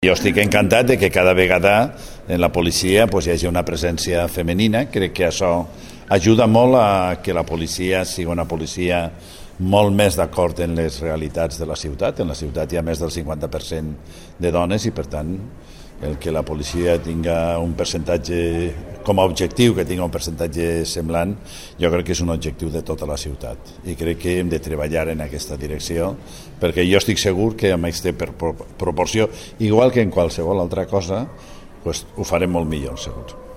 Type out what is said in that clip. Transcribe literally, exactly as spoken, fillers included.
Jo estic encantat de que cada vegada en la policia pues, hi hagi una presència femenina. Crec que això ajuda molt a que la policia sigui una policia molt més d'acord en les realitats de la ciutat. En la ciutat hi ha més del cinquanta per cent de dones i, per tant, el que la policia tinga un percentatge com a objectiu, que tinga un percentatge semblant, jo crec que és un objectiu de tota la ciutat i crec que hem de treballar en aquesta direcció, perquè jo estic segur que amb aquesta proporció, igual que en qualsevol altra cosa, pues, ho farem molt millor, segur.